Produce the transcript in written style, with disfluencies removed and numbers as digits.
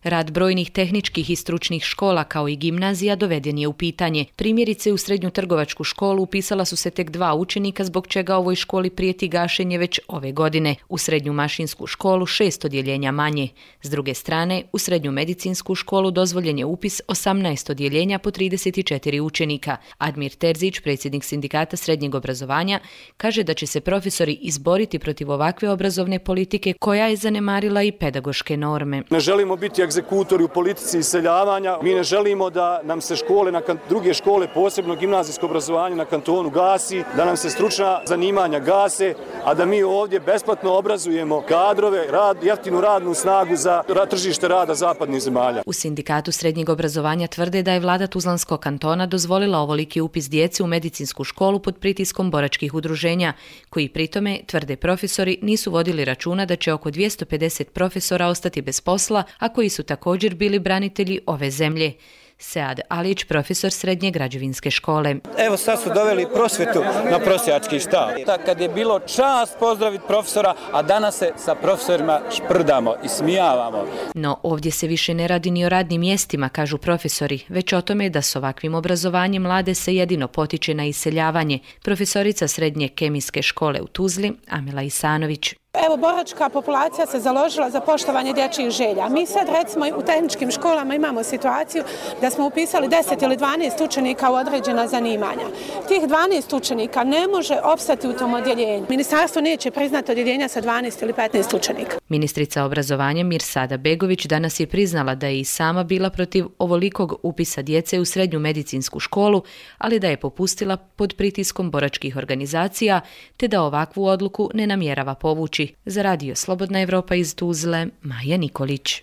Rad brojnih tehničkih i stručnih škola kao i gimnazija doveden je u pitanje. Primjerice, u srednju trgovačku školu upisala su se tek 2 učenika, zbog čega ovoj školi prijeti gašenje već ove godine. U srednju mašinsku školu 6 odjeljenja manje. S druge strane, u srednju medicinsku školu dozvoljen je upis 18 odjeljenja po 34 učenika. Admir Terzić, predsjednik sindikata srednjeg obrazovanja, kaže da će se profesori izboriti protiv ovakve obrazovne politike koja je zanemarila i pedagoške norme. Ne želimo biti egzekutori u politici iseljavanja. Mi ne želimo da nam se druge škole, posebno gimnazijsko obrazovanje na kantonu gasi, da nam se stručna zanimanja gase, a da mi ovdje besplatno obrazujemo kadrove, jeftinu radnu snagu za tržište rada zapadnih zemalja. U sindikatu srednjeg obrazovanja tvrde da je vlada Tuzlanskog kantona dozvolila ovoliki upis djece u medicinsku školu pod pritiskom boračkih udruženja, koji pritome, tvrde profesori, nisu vodili računa da će oko 250 profesora ostati bez posla, a koji su također bili branitelji ove zemlje. Sead Alić, profesor srednje građevinske škole. Evo sad su doveli prosvjetu na prosjački štab. Kad je bilo čast pozdraviti profesora, a danas se sa profesorima šprdamo i smijavamo. No ovdje se više ne radi ni o radnim mjestima, kažu profesori, već o tome da s ovakvim obrazovanjem mlade se jedino potiče na iseljavanje. Profesorica srednje kemijske škole u Tuzli, Amela Isanović. Evo, boračka populacija se založila za poštovanje dječjih želja. Mi sad, recimo, u tehničkim školama imamo situaciju da smo upisali 10 ili 12 učenika u određena zanimanja. Tih 12 učenika ne može opstati u tom odjeljenju. Ministarstvo neće priznati odjeljenja sa 12 ili 15 učenika. Ministrica obrazovanja Mirsada Begović danas je priznala da je i sama bila protiv ovolikog upisa djece u srednju medicinsku školu, ali da je popustila pod pritiskom boračkih organizacija, te da ovakvu odluku ne namjerava povući. Za radio Slobodna Evropa iz Tuzle, Maja Nikolić.